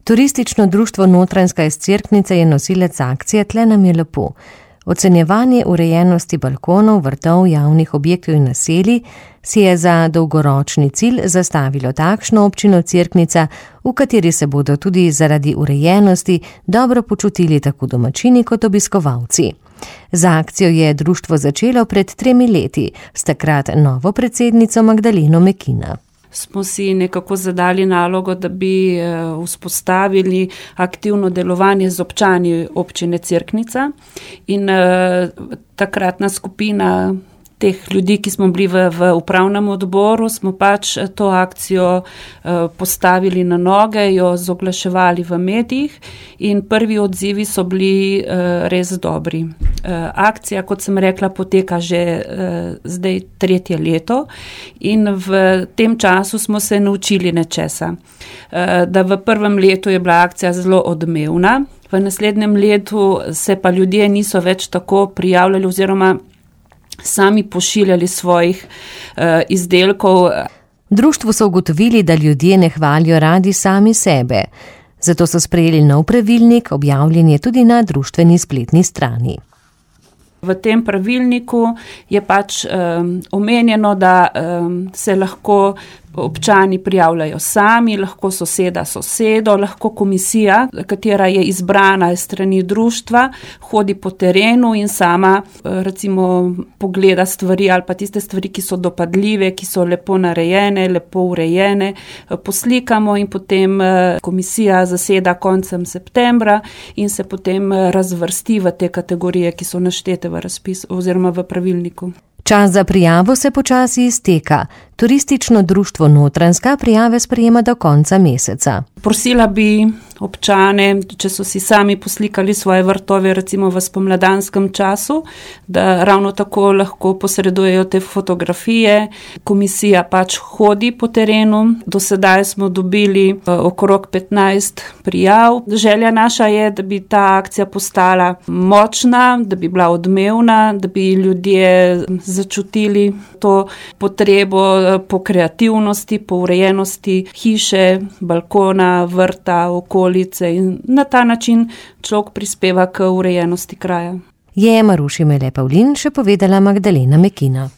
Turistično društvo Notranjska iz Cerknice je nosilec akcije Tle nam je lepo. Ocenjevanje urejenosti balkonov, vrtov, javnih objektov in naselij si je za dolgoročni cilj zastavilo takšno občino Cerknica, v kateri se bodo tudi zaradi urejenosti dobro počutili tako domačini kot obiskovalci. Z akcijo je društvo začelo pred 3 leti, s takrat novo predsednico Magdaleno Mekina. Smo si nekako zadali nalogo, da bi vzpostavili aktivno delovanje z občani občine Cerknica in takratna skupina teh ljudi, ki smo bili v upravnem odboru, smo pač to akcijo postavili na noge, jo zoglaševali v medijih in prvi odzivi so bili res dobri. Akcija, kot sem rekla, poteka že zdaj 3. leto in v tem času smo se naučili nečesa. Da v prvem letu je bila akcija zelo odmevna, v naslednjem letu se pa ljudje niso več tako prijavljali oziroma sami pošiljali svojih izdelkov. Društvu so ugotovili, da ljudje ne hvalijo radi sami sebe. Zato so sprejeli nov pravilnik, objavljen je tudi na društveni spletni strani. V tem pravilniku je pač omenjeno, da se lahko občani prijavljajo sami, lahko soseda sosedo, lahko komisija, katera je izbrana iz strani društva, hodi po terenu in sama recimo pogleda stvari ali pa tiste stvari, ki so dopadljive, ki so lepo narejene, lepo urejene, poslikamo in potem komisija zaseda koncem septembra in se potem razvrsti v te kategorije, ki so naštete v razpisu oziroma v pravilniku. Čas za prijavo se počasi izteka. Turistično društvo Notranjska prijave sprejema do konca meseca. Prosila bi občane, če so si sami poslikali svoje vrtove recimo v spomladanskem času, da ravno tako lahko posredujejo te fotografije. Komisija pač hodi po terenu. Do sedaj smo dobili okrog 15 prijav. Želja naša je, da bi ta akcija postala močna, da bi bila odmevna, da bi ljudje začutili to potrebo po kreativnosti, po urejenosti hiše, balkona, vrta, okolice in na ta način človek prispeva k urejenosti kraja. Je Maruši Mele Pavlin še povedala Magdalena Mekina.